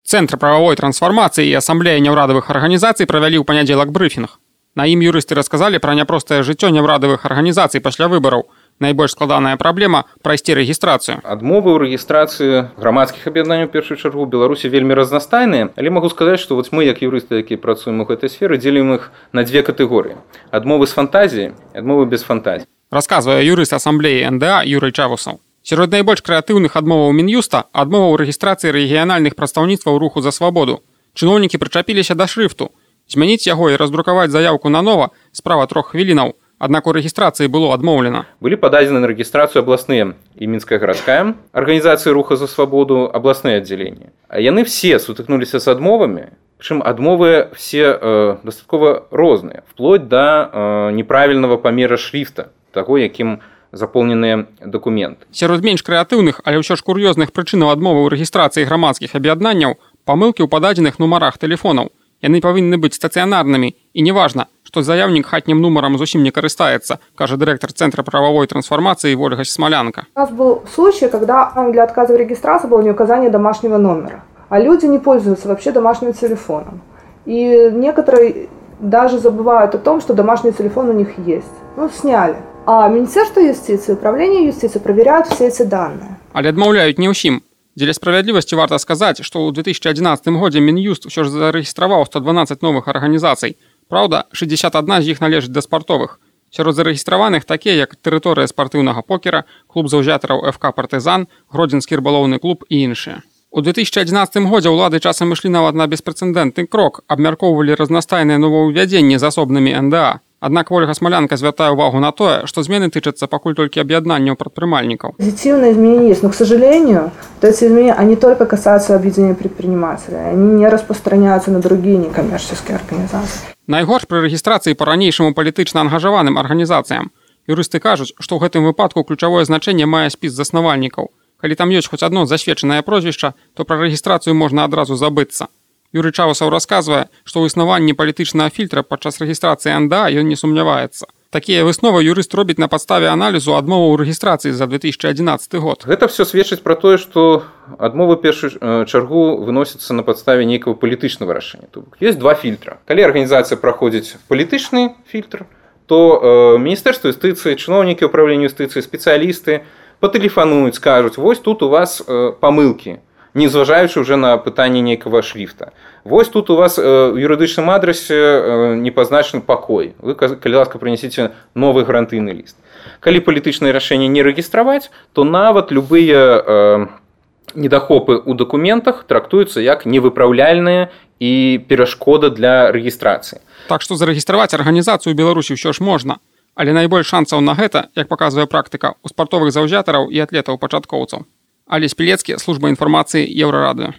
Цэнтр прававой трансфармацыі і асамблея няўрадавых арганізацый правялі ў панядзелак брыфінг. На ім юрысты расказалі пра няпростае жыццё няўрадавых арганізацый пасля выбараў. Найбольш складаная праблема – прайсці рэгістрацыю. Адмовы ў рэгістрацыі грамадскіх аб'яднанняў у першую чаргу ў Беларусі вельмі разнастайныя, але магу сказаць, што мы, як юрысты, якія працуем у гэтай сферы, дзелім іх на две катэгорыі. Адмовы з фантазіі, адмовы без фантазіі. Расказвае юрыст асамблеі НДА Юрый Чавусаў. Сярод найбольш крэатыўных адмоваў Мін'юста – адмова ў рэгістрацыі рэгіянальных прадстаўніцтваў руху за свабоду. Чыноўнікі прычапіліся да шрыфту. Змяніць яго і раздрукаваць заявку нанова – справа 3 хвілінаў. Аднак у рэгістрацыі было адмоўлена. Былі пададзены на рэгістрацыю абласныя і Мінская гарадская арганізацыі руха за свабоду, абласныя аддзяленні. А яны все сутыкнуліся з адмовамі, прычым адмовы все дастаткова розныя, вплоть да неправільнага памера шрифта, таго, якім запоўненыя дакументы. Сярод менш крэатыўных, але ўсё ж кур'ёзных прычынаў адмовы ў рэгістрацыі грамадскіх аб'яднанняў памылкі ў пададзеных нумарах тэлефонаў. Яны павінны быць стацыянарнымі і неважна, што заявнік хатнім нумарам зусім не карыстаецца, кажа дырэктар Центра правовой трансформации Ольга Смолянка. У нас был случай, когда для отказа в регистрации было не указание домашнего номера, а люди не пользуются вообще домашним телефоном. И некоторые даже забывают о том, что домашний телефон у них есть. Сняли. А Министерство юстиции, Управление юстиции проверяют все эти данные. Але адмаўляюць не ўсім. Дзеля справядлівасці варта сказаць, што ў 2011 годзе Мін'юст ўсё ж зарэгістраваў 112 новых арганізацый. Праўда, 61 з іх належыць да спартовых. Сярод зарэгістраваных такія, як тэрыторыя спартыўнага покера, клуб заўзятараў ФК «Партызан», Гродзенскі рыбалоўны клуб і іншыя. У 2011 годзе ўлады часам ішлі нават на беспрэцэдэнтны крок, абмяркоўвалі разнастайныя новаўвядзенні з асобнымі НДА. Аднак Ольга Смолянка звяртае ўвагу на тое, што змены тычацца пакуль толькі аб'яднанняў прадпрымальнікаў. Позитивные изменения есть, но, к сожалению, эти изменения, они только касаются объединения предпринимателей. Они не распространяются на другие некоммерческие организации. Найгорш пры рэгістрацыі па-ранейшаму палітычна ангажаваным арганізацыям. Юрысты кажуць, што ў гэтым выпадку ключавое значэнне мае спіс заснавальнікаў. Калі там ёсць хоць адно засведчанае прозвішча, то пра рэгістрацыю можна адразу забыцца. Юрый Чавусаў расказвае, што ў існаванні палітычнага фільтра падчас рэгістрацыі НДА ён не сумняваецца. Такія высновы юрыст робіць на падставе аналізу адмоваў рэгістрацыі за 2011 год. Гэта все сведчыць пра тое, што адмовы першую чаргу выносяцца на падставе нейкага палітычнага рашэння. Ёсць два фільтра. Калі арганізацыя праходзіць палітычны фільтр, то Міністэрства юстыцыі, чыноўнікі ўправлення юстыцыі, спецыялісты патэлефануюць, скажуць: вось тут у вас памылкі, не зважаючы ўжо на пытанне нейкага шрифта. Вось тут у вас у юрыдычным адрасе не пазначаны пакой. Вы, калі ласка, прынясіце новы гарантыйны ліст. Калі палітычнае рашэнне не рэгістраваць, то нават любыя недахопы ў дакументах трактуюцца як невыпраўляльныя і перашкода для рэгістрацыі. Так што зарэгістраваць арганізацыю ў Беларусі ўсё ж можна. Але найбольш шансаў на гэта, як паказвае практыка, у спартовых заўзятараў і атлетаў-пачаткоўцаў. Алесь Пілецкі, служба інфармацыі Еўрарадыё.